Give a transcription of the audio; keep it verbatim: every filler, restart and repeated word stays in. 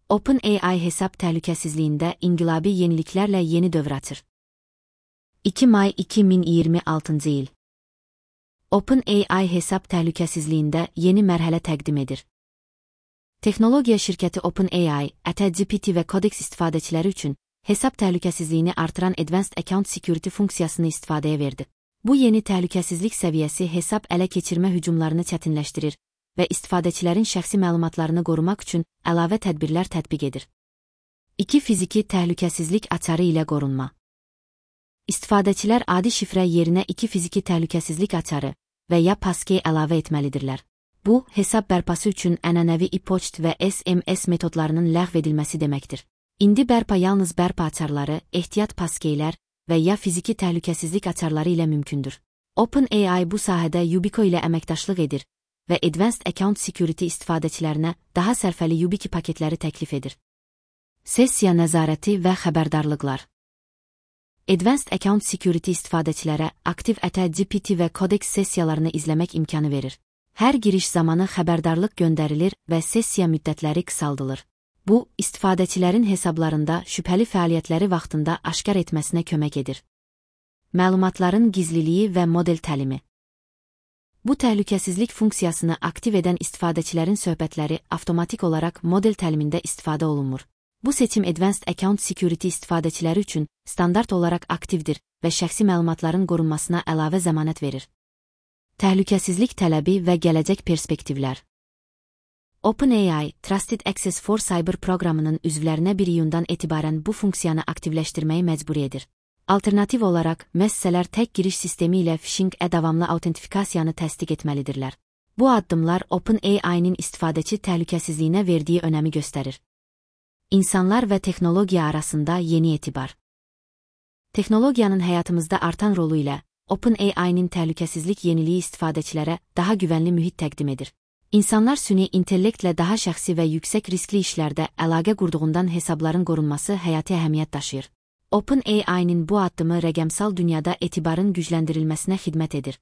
OpenAI hesab təhlükəsizliyində inqilabi yeniliklərlə yeni dövr açır. iki may iki min iyirmi altıncı il. OpenAI hesab təhlükəsizliyində yeni mərhələ təqdim edir. Texnologiya şirkəti OpenAI, ChatGPT və Codex istifadəçiləri üçün hesab təhlükəsizliyini artıran Advanced Account Security funksiyasını istifadəyə verdi. Bu yeni təhlükəsizlik səviyyəsi hesab ələ keçirmə hücumlarını çətinləşdirir və istifadəçilərin şəxsi məlumatlarını qorumaq üçün əlavə tədbirlər tətbiq edir. iki Fiziki təhlükəsizlik açarı ilə qorunma. İstifadəçilər adi şifrə yerinə iki fiziki təhlükəsizlik açarı və ya passkey əlavə etməlidirlər. Bu, hesab bərpası üçün ənənəvi e-poçt və S M S metodlarının ləğv edilməsi deməkdir. İndi bərpa yalnız bərpa açarları, ehtiyat passkeylər və ya fiziki təhlükəsizlik açarları ilə mümkündür. OpenAI bu sahədə Yubico ilə əməkdaşlıq edir və Advanced Account Security istifadəçilərinə daha sərfəli YubiKey paketləri təklif edir. Sessiya nəzarəti və xəbərdarlıqlar. Advanced Account Security istifadəçilərə aktiv ChatGPT və Codex sessiyalarını izləmək imkanı verir. Hər giriş zamanı xəbərdarlıq göndərilir və sessiya müddətləri qısaldılır. Bu, istifadəçilərin hesablarında şübhəli fəaliyyətləri vaxtında aşkar etməsinə kömək edir. Məlumatların gizliliyi və model təlimi. Bu təhlükəsizlik funksiyasını aktiv edən istifadəçilərin söhbətləri avtomatik olaraq model təlimində istifadə olunmur. Bu seçim Advanced Account Security istifadəçiləri üçün standart olaraq aktivdir və şəxsi məlumatların qorunmasına əlavə zəmanət verir. Təhlükəsizlik tələbi və gələcək perspektivlər. OpenAI, Trusted Access for Cyber proqramının üzvlərinə bir iyundan etibarən bu funksiyanı aktivləşdirməyi məcburi edir. Alternativ olaraq, müəssisələr tək giriş sistemi ilə phishing-ə davamlı autentifikasiyanı təsdiq etməlidirlər. Bu addımlar OpenAI-nin istifadəçi təhlükəsizliyinə verdiyi önəmi göstərir. İnsanlar və texnologiya arasında yeni etibar. Texnologiyanın həyatımızda artan rolu ilə, OpenAI-nin təhlükəsizlik yeniliyi istifadəçilərə daha güvənli mühit təqdim edir. İnsanlar süni intellektlə daha şəxsi və yüksək riskli işlərdə əlaqə qurduğundan hesabların qorunması həyati əhəmiyyət daşıyır. OpenAI-nin bu addımı rəqəmsal dünyada etibarın gücləndirilməsinə xidmət edir.